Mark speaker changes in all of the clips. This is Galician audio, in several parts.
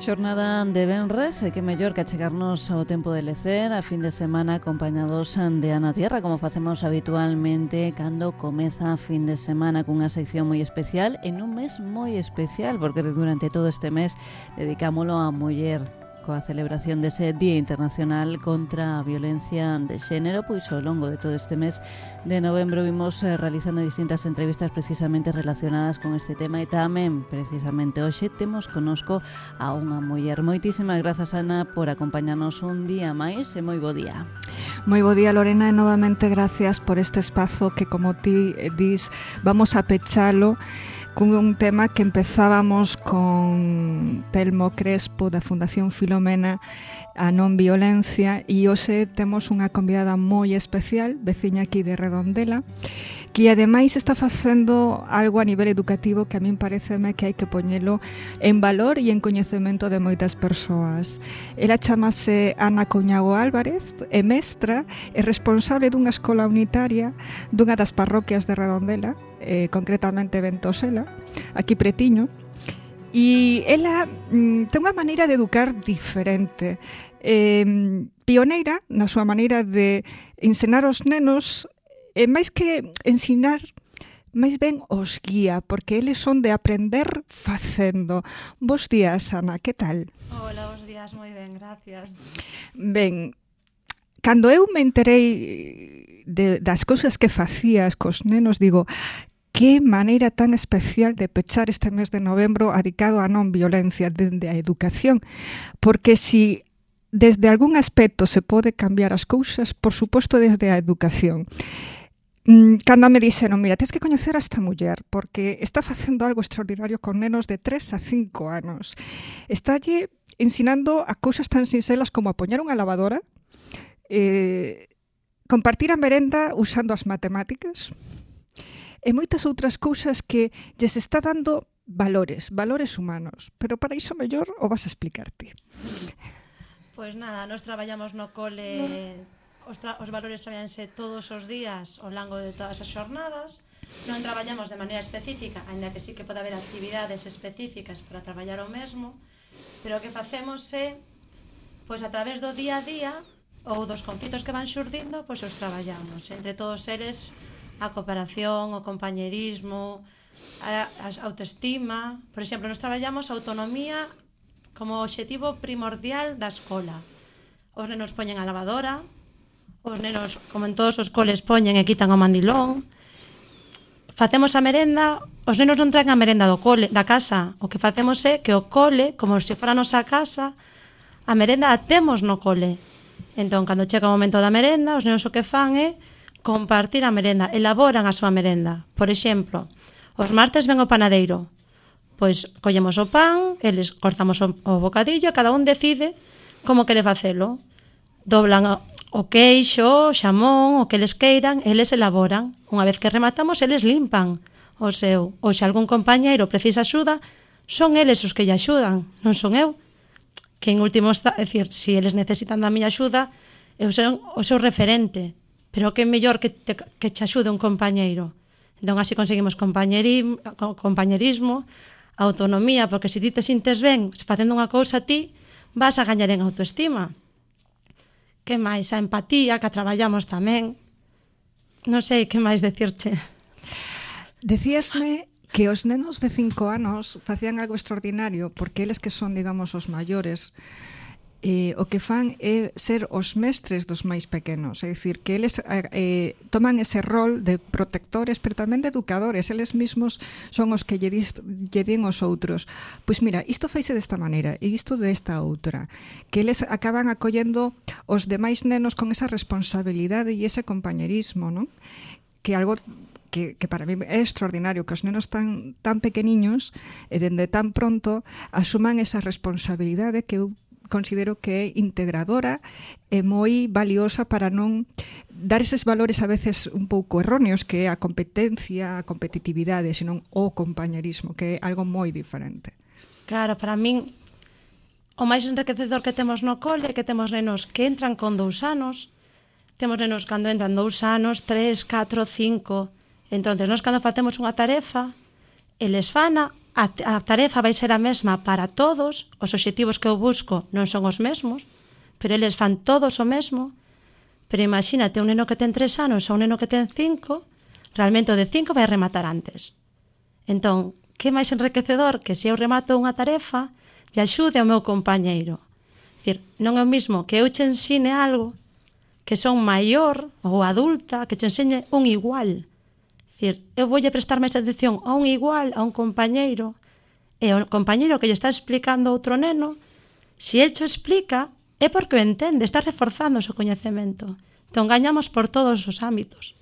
Speaker 1: Xornada de venres, que mellor que achegarnos ao tempo de lecer, a fin de semana acompañados de Ana Tierra, como facemos habitualmente cando comeza a fin de semana cunha sección moi especial, en un mes moi especial, porque durante todo este mes dedicámolo á muller, coa celebración dese Día Internacional contra a Violencia de Xénero. Pois ao longo de todo este mes de novembro vimos realizando distintas entrevistas precisamente relacionadas con este tema, e tamén precisamente hoxe temos conosco a unha muller. Moitísimas grazas, Ana, por acompañarnos un día máis e moi bo día.
Speaker 2: Moi bo día, Lorena, e novamente gracias por este espazo que, como ti dis, vamos a pechalo con un tema que empezábamos con Telmo Crespo da Fundación Filomena, a non violencia, e hoxe temos unha convidada moi especial, veciña aquí de Redondela, que ademais está facendo algo a nivel educativo que a min pareceme que hai que poñelo en valor e en coñecemento de moitas persoas. Ela chamase Ana Couñago Álvarez, é mestra e responsable dunha escola unitaria dunha das parroquias de Redondela, concretamente Ventosela, aquí pretiño. E ela ten unha maneira de educar diferente, pioneira na súa maneira de ensinar aos nenos, e máis que ensinar, máis ben os guía, porque eles son de aprender facendo. Bos días, Ana, que tal?
Speaker 3: Hola, bos días, moi ben, gracias.
Speaker 2: Ben, cando eu me enterei das cousas que facías cos nenos, digo, que maneira tan especial de pechar este mes de novembro dedicado á non violencia dende a educación, porque si desde algún aspecto se pode cambiar as cousas, por suposto desde a educación. Cando me dixeron, mira, tens que coñecer a esta muller, porque está facendo algo extraordinario con nenos de 3 a 5 anos. Estálle ensinando a cousas tan sinxelas como a poñer unha lavadora, compartir a merenda usando as matemáticas, e moitas outras cousas que lles está dando valores humanos. Pero para iso mellor o vas a explicarte.
Speaker 3: Pois nada, nós traballamos no cole, os valores traballanse todos os días ao longo de todas as xornadas. Non traballamos de maneira específica, ainda que sí que pode haber actividades específicas para traballar o mesmo, pero o que facemos é, pois a través do día a día ou dos conflitos que van xurdindo, pois os traballamos. Entre todos eles, a cooperación, o compañerismo, a autoestima. Por exemplo, nos traballamos a autonomía como obxectivo primordial da escola. Os nenos poñen a lavadora, os nenos, como en todos os coles, poñen e quitan o mandilón. Facemos a merenda, os nenos non traen a merenda do cole, da casa. O que facemos é que o cole, como se fora a nosa casa, a merenda a temos no cole. Entón, cando chega o momento da merenda, os nenos o que fan é compartir a merenda, elaboran a súa merenda. Por exemplo, os martes ven o panadeiro, pois collemos o pan, eles cortamos o bocadillo, e cada un decide como quere facelo. Doblan o queixo, o xamón, o que eles queiran, eles elaboran. Unha vez que rematamos, eles limpan o seu. Ou se algún compañeiro precisa axuda, son eles os que lle axudan, non son eu. Que en último está, é dicir, se eles necesitan da miña axuda, eu son o seu referente. Pero que é mellor que te axude un compañeiro. Entón, así conseguimos compañerismo, autonomía, porque se ti te sintes ben facendo unha cousa, ti vas a gañar en autoestima. Que máis? A empatía, que a traballamos tamén. Non sei que máis decirche.
Speaker 2: Decíasme que os nenos de 5 anos facían algo extraordinario, porque eles que son, digamos, os maiores, o que fan é ser os mestres dos máis pequenos, é dicir, que eles toman ese rol de protectores, pero tamén de educadores. Eles mesmos son os que lle din aos outros, pois mira, isto faise desta maneira e isto desta outra, que eles acaban acollendo os demais nenos con esa responsabilidade e ese compañerismo, non? Que algo que para mí é extraordinario, que os nenos tan pequeniños e dende tan pronto asuman esa responsabilidade que eu considero que é integradora e moi valiosa para non dar eses valores a veces un pouco erróneos, que é a competencia, a competitividade, senón o compañerismo, que é algo moi diferente.
Speaker 3: Claro, para min o máis enriquecedor que temos no cole é que temos nenos que entran con 2 anos, temos nenos cando entran 2 anos, 3, 4, 5. Entonces, nós cando facemos unha tarefa, eles fana a tarefa vai ser a mesma para todos, os obxectivos que eu busco non son os mesmos, pero eles fan todos o mesmo. Pero imagínate, un neno que ten 3 anos ou un neno que ten 5, realmente o de 5 vai rematar antes. Entón, que máis enriquecedor que se eu remato unha tarefa e axude ao meu compañeiro. Dicir, non é o mismo que eu che ensine algo que son maior ou adulta, que te ensine un igual. Dicir, eu voulle prestar máis atención a un igual, a un compañeiro, e o compañeiro que lle está explicando a outro neno, se el cho explica, é porque o entende, está reforzando o seu coñecemento. Entón, gañamos por todos os ámbitos.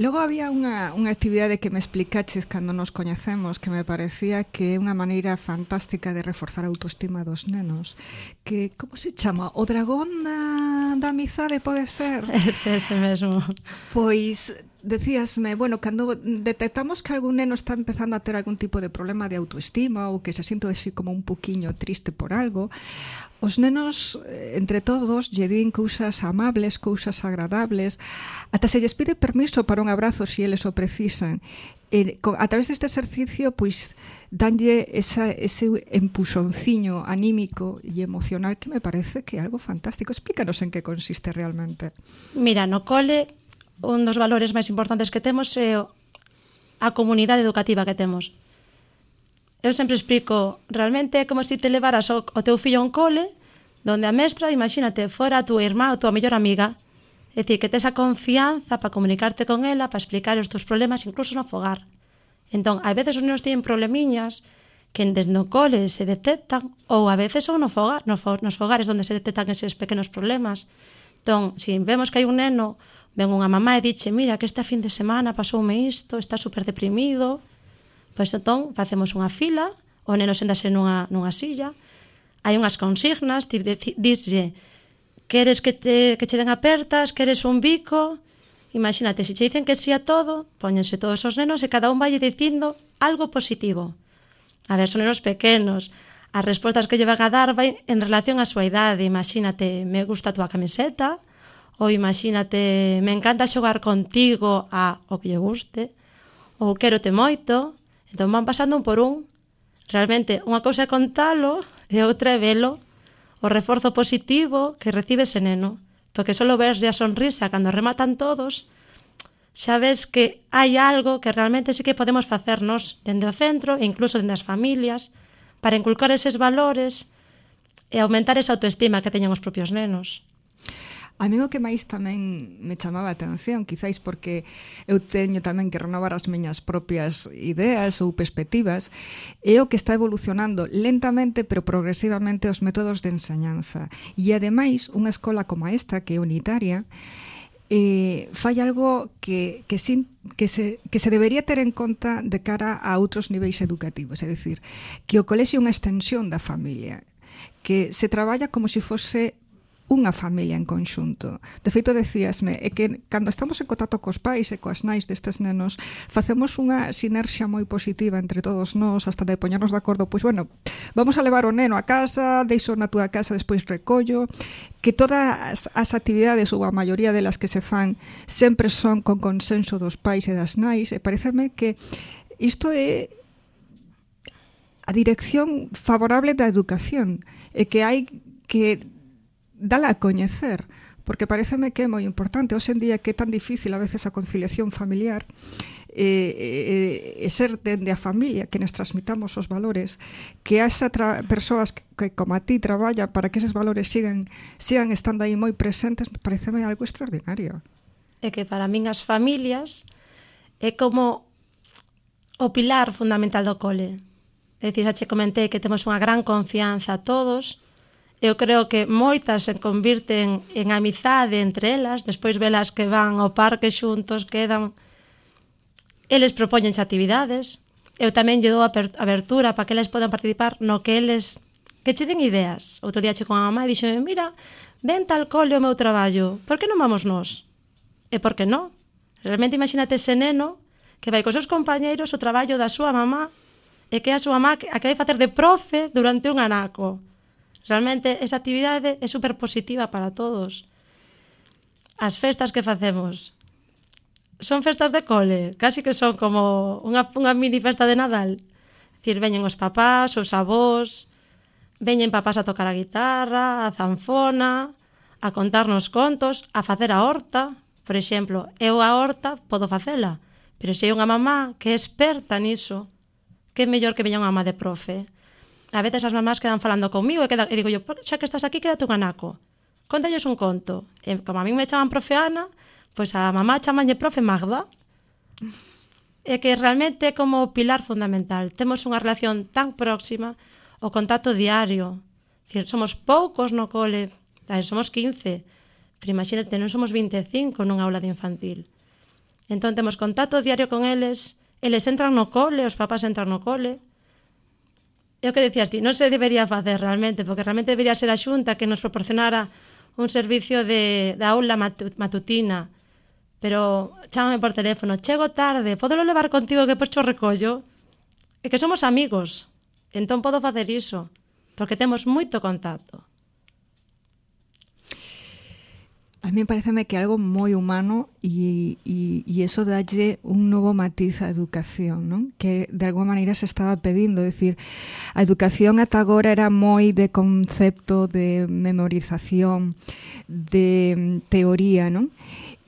Speaker 2: Logo había unha actividade que me explicaches cando nos coñecemos que me parecía que é unha maneira fantástica de reforzar a autoestima dos nenos, que, como se chama? O dragón da amizade, pode ser?
Speaker 3: Ese mesmo.
Speaker 2: Pois decíasme, bueno, cando detectamos que algún neno está empezando a ter algún tipo de problema de autoestima ou que se siente así como un poquinho triste por algo, os nenos, entre todos, lle din cousas amables, cousas agradables, ata se lles pide permiso para un abrazo se eles o precisan. A través deste exercicio, pois, danlle ese empuxonciño anímico e emocional que me parece que é algo fantástico. Explícanos en que consiste realmente.
Speaker 3: Mira, no cole, un dos valores máis importantes que temos é a comunidade educativa que temos. Eu sempre explico, realmente é como se te levaras o teu fillo a un cole donde a mestra, imagínate, fora a tua irmá ou a tua mellor amiga. É dicir, que tes a confianza para comunicarte con ela, para explicar os teus problemas, incluso no fogar. Entón, a veces os nenos teñen problemiñas que desde no cole se detectan, ou a veces son nos fogares onde se detectan eses pequenos problemas. Entón, se vemos que hai un neno, ven unha mamá e dixe, mira, que esta fin de semana pasoume isto, está super deprimido, pois entón facemos unha fila, o neno séntase nunha silla, hai unhas consignas, dislle, queres que che den apertas, queres un bico, imagínate, se che dicen que sí a todo, póñense todos os nenos e cada un vai dicindo algo positivo. A ver, son nenos pequenos, as respostas que lle van a dar vai en relación á súa idade, imagínate, me gusta a túa camiseta, ou imagínate, me encanta xogar contigo a o que lle guste, ou quérote moito. Entón van pasando un por un. Realmente, unha cousa é contalo e outra é velo, o reforzo positivo que recibe ese neno. Porque só verse a sonrisa cando rematan todos, xa ves que hai algo que realmente sí que podemos facernos dende o centro e incluso dende as familias para inculcar eses valores e aumentar esa autoestima que teñen os propios nenos.
Speaker 2: A mí o que máis tamén me chamaba a atención, quizáis porque eu teño tamén que renovar as miñas propias ideas ou perspectivas, é o que está evolucionando lentamente pero progresivamente os métodos de enseñanza. E ademais, unha escola como esta, que é unitaria, fai algo que se debería ter en conta de cara a outros niveis educativos, é dicir, que o colexio é unha extensión da familia, que se traballa como se fose unha familia en conxunto. De feito, decíasme, é que cando estamos en contacto cos pais e coas nais destes nenos, facemos unha sinerxia moi positiva entre todos nós, hasta de poñernos de acordo, pois, bueno, vamos a levar o neno a casa, deixo na túa casa, despois recollo, que todas as actividades, ou a maioría delas que se fan, sempre son con consenso dos pais e das nais, e pareceme que isto é a dirección favorable da educación, e que hai que dala a coñecer, porque pareceme que é moi importante. Hoxe en día que é tan difícil a veces a conciliación familiar e ser dende a familia que nos transmitamos os valores, que esa persoas que como a ti traballan para que eses valores sigan estando aí moi presentes, pareceme algo extraordinario.
Speaker 3: É que para min as familias é como o pilar fundamental do cole. É dicir, xa che comentei que temos unha gran confianza a todos. Eu creo que moitas se convirten en amizade entre elas, despois velas que van ao parque xuntos, quedan. Eles propoñense actividades. Eu tamén lle dou abertura para que eles podan participar no que eles que che den ideas. Outro día che con a mamá e dixeme, mira, ven tal cole o meu traballo, por que non vamos nós? E por que non? Realmente imagínate ese neno que vai cos seus compañeiros o traballo da súa mamá e que a súa mamá a que vai facer de profe durante un anaco. Realmente esa actividade é super positiva para todos. As festas que facemos son festas de cole, casi que son como unha mini festa de Nadal. É dicir, veñen os papás, os avós, veñen papás a tocar a guitarra, a zanfona, a contarnos contos, a facer a horta. Por exemplo, eu a horta podo facela, pero se hai unha mamá que é experta niso, que é mellor que veña unha mamá de profe. A veces as mamás quedan falando comigo e digo yo, xa que estás aquí, quédate un anaco. Contalles un conto. E como a mí me chaman profe Ana, pois a mamá chamanlle profe Magda. É que realmente é como pilar fundamental. Temos unha relación tan próxima, o contacto diario. Somos poucos no cole, somos 15, pero imagínate, non somos 25 nunha aula de infantil. Entón temos contacto diario con eles entran no cole, os papás entran no cole. É o que decías ti, non se debería facer realmente, porque realmente debería ser a Xunta que nos proporcionara un servicio de aula matutina. Pero chámame por teléfono, chego tarde, podelo levar contigo que depois cho recollo? É que somos amigos, entón podo facer iso, porque temos moito contacto.
Speaker 2: A mí pareceme que é algo moi humano e eso dalle un novo matiz á educación, non? Que de alguma maneira se estaba pedindo, é dicir, a educación ata agora era moi de concepto de memorización, de teoría, non?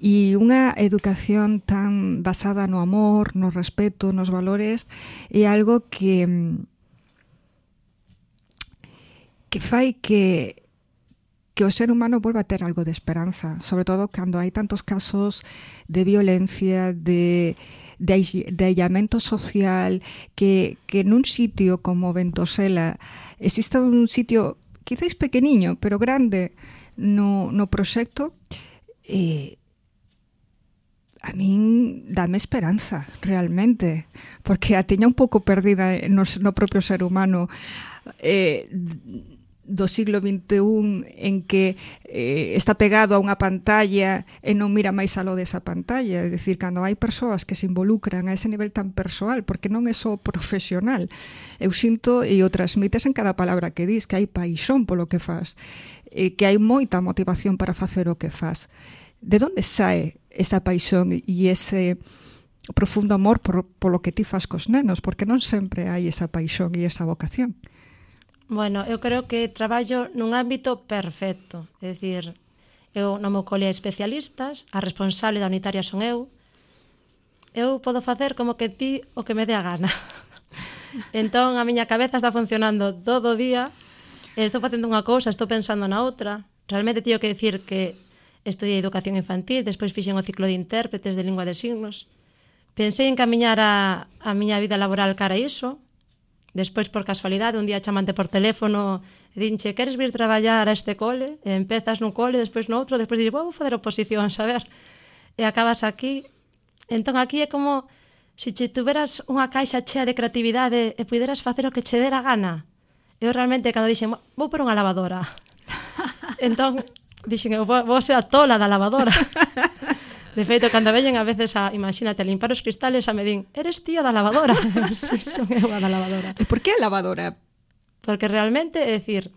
Speaker 2: E unha educación tan basada no amor, no respeto, nos valores, é algo que fai que o ser humano volva a ter algo de esperanza, sobre todo cando hai tantos casos de violencia, de aillamento social, que nun sitio como Ventosela existe un sitio quizáis pequeniño, pero grande no proxecto, a min dame esperanza, realmente, porque a teña un pouco perdida no propio ser humano, do siglo XXI en que está pegado a unha pantalla e non mira máis aló desa pantalla. É dicir, cando hai persoas que se involucran a ese nivel tan persoal, porque non é só profesional, eu sinto e o transmites en cada palabra que dis, que hai paixón polo que faz, que hai moita motivación para facer o que faz. De onde sae esa paixón e ese profundo amor polo que ti faz cos nenos? Porque non sempre hai esa paixón e esa vocación.
Speaker 3: Bueno, eu creo que traballo nun ámbito perfecto. É dicir, eu no meu cole hai especialistas, a responsable da unitaria son eu. Eu podo facer como que ti o que me dé a gana. Entón, a miña cabeza está funcionando todo o día, estou facendo unha cousa, estou pensando na outra. Realmente teño que dicir que estudiei educación infantil, despois fixen o ciclo de intérpretes de lingua de signos. Pensei en camiñar a miña vida laboral cara a iso. Despois, por casualidade, un día chamante por teléfono e dinche, queres vir traballar a este cole? E empezas nun cole, despois no outro, despois dixes, vou fazer oposición, saber? E acabas aquí. Entón, aquí é como se che tuveras unha caixa chea de creatividade e puderas facer o que che dera gana. Eu realmente, cando dixen, vou por unha lavadora. Entón, dixen, eu vou ser a tola da lavadora. De feito, cando veñen a veces imagínate, a limpar os cristales, me din, eres tía da lavadora. Si, son eu a da lavadora.
Speaker 2: E por que a lavadora?
Speaker 3: Porque realmente, é dicir,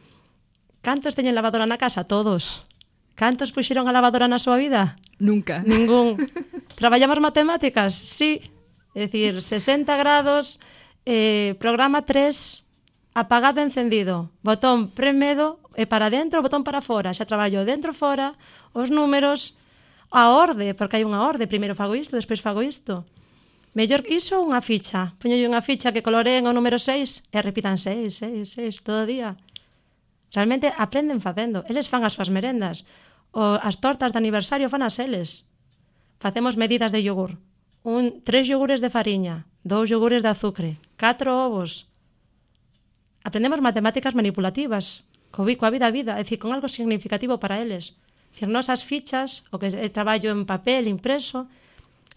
Speaker 3: cantos teñen lavadora na casa? Todos. Cantos puxeron a lavadora na súa vida?
Speaker 2: Nunca.
Speaker 3: Ningún. Traballamos matemáticas? Sí. É dicir, 60 grados, programa 3, apagado, encendido, botón premedo e para dentro, botón para fora. Xa traballo dentro, fora, os números, a orde, porque hai unha orde, primeiro fago isto, despois fago isto. Mellor iso unha ficha. Poñolle unha ficha que coloreen o número 6 e repitan 6, 6, 6 todo o día. Realmente aprenden facendo. Eles fan as súas merendas. As tortas de aniversario fan as eles. Facemos medidas de yogur. 3 yogures de fariña, 2 yogures de azúcar, 4 ovos. Aprendemos matemáticas manipulativas, coa vida a vida, é dicir, con algo significativo para eles. É dicir, nos as fichas, o que traballo en papel, impreso,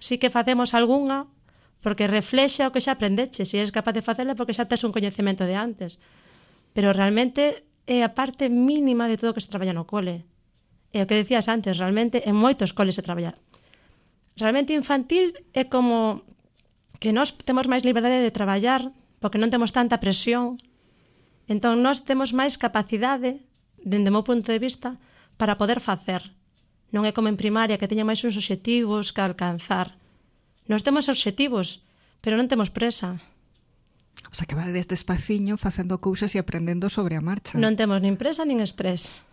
Speaker 3: sí que facemos algunha, porque reflexa o que xa aprendeche. Se eres capaz de facela, porque xa tes un coñecemento de antes. Pero realmente é a parte mínima de todo o que se traballa no cole. É o que decías antes, realmente en moitos coles se traballa. Realmente infantil é como que nós temos máis liberdade de traballar, porque non temos tanta presión. Entón, nós temos máis capacidade, dende o meu punto de vista, para poder facer. Non é como en primaria, que teña máis uns obxectivos que alcanzar. Nós temos obxectivos, pero non temos presa.
Speaker 2: O sea, que va desde despaciño facendo cousas e aprendendo sobre a marcha.
Speaker 3: Non temos nin presa nin estrés.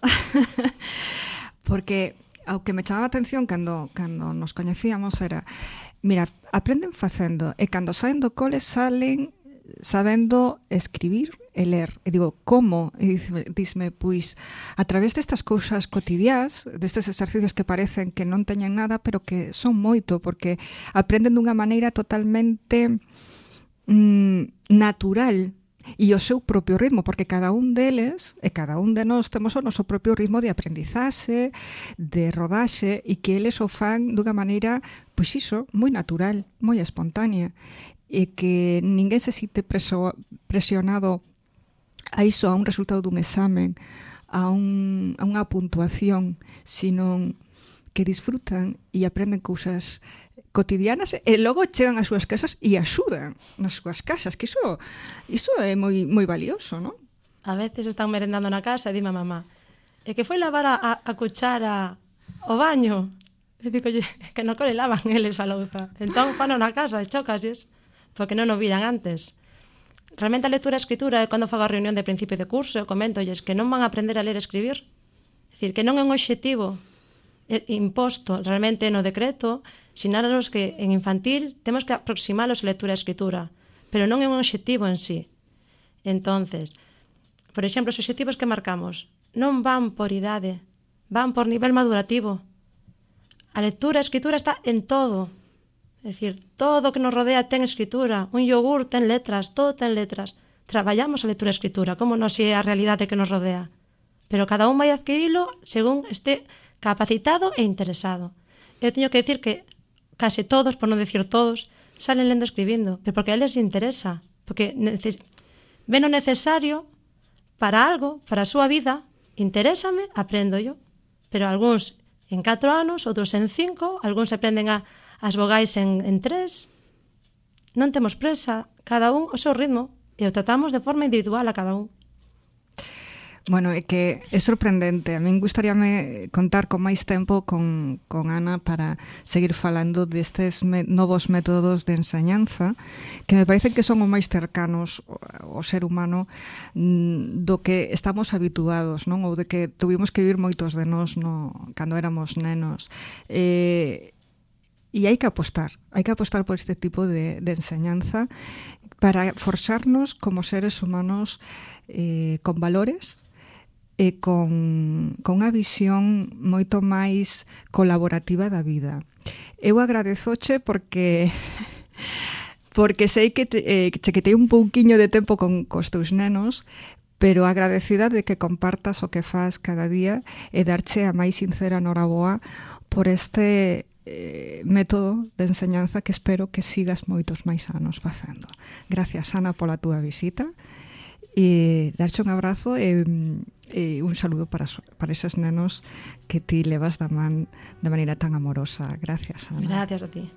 Speaker 2: Porque ao que me chamaba a atención cando nos coñecíamos era, mira, aprenden facendo e cando saen do cole salen sabendo escribir e ler. E digo, como? E dísme, pois, a través destas cousas cotidiás, destes exercicios que parecen que non teñen nada, pero que son moito, porque aprenden dunha maneira totalmente natural e o seu propio ritmo, porque cada un deles e cada un de nós temos o noso propio ritmo de aprendizaxe, de rodaxe, e que eles o fan dunha maneira, pois iso, moi natural, moi espontánea, e que ninguén se sinte presionado a iso, a un resultado dun examen, a unha puntuación, sino que disfrutan e aprenden cousas cotidianas e logo chegan ás súas casas e axudan nas súas casas, que iso é moi valioso, non?
Speaker 3: A veces están merendando na casa e dime a mamá, e que foi lavar a cuchara ao baño? E digo, que no cole lavan eles a louza. Entón, fano na casa e chocasles, porque non o viran antes. Realmente a lectura e a escritura é cando fago a reunión de principio de curso e comentolles que non van a aprender a ler e escribir. É dicir, que non é un obxectivo imposto realmente no decreto, sinalaros que en infantil temos que aproximalos a lectura e escritura, pero non é un obxectivo en sí. Entonces, por exemplo, os obxectivos que marcamos non van por idade, van por nivel madurativo. A lectura e a escritura está en todo. É dicir, todo o que nos rodea ten escritura, un yogur ten letras, todo ten letras. Traballamos a lectura e a escritura, como non é a realidade que nos rodea. Pero cada un vai adquirilo según este capacitado e interesado. Eu teño que decir que case todos, por non decir todos, salen lendo e escribindo, pero porque a eles interesa, porque ven o necesario para algo, para a súa vida, interésame, aprendo yo. Pero algúns en 4 anos, outros en 5, algúns aprenden as vogais en 3. Non temos presa, cada un o seu ritmo, e o tratamos de forma individual a cada un.
Speaker 2: Bueno, é que é sorprendente. A min gustaríame contar con máis tempo con Ana para seguir falando destes novos métodos de enseñanza que me parecen que son os máis cercanos ao ser humano do que estamos habituados, non? Ou de que tuvimos que vivir moitos de nós cando éramos nenos. E hai que apostar por este tipo de enseñanza para forxarnos como seres humanos con valores e con unha visión moito máis colaborativa da vida. Eu agradezoche porque sei que che quitei un pouquiño de tempo cos teus nenos, pero agradecida de que compartas o que faz cada día e darche a máis sincera noraboa por este método de enseñanza que espero que sigas moitos máis anos facendo. Gracias, Ana, pola túa visita. E darche un abrazo e un saludo para eses nenos que ti levas da man de maneira tan amorosa. Gracias, Ana.
Speaker 3: Gracias a ti.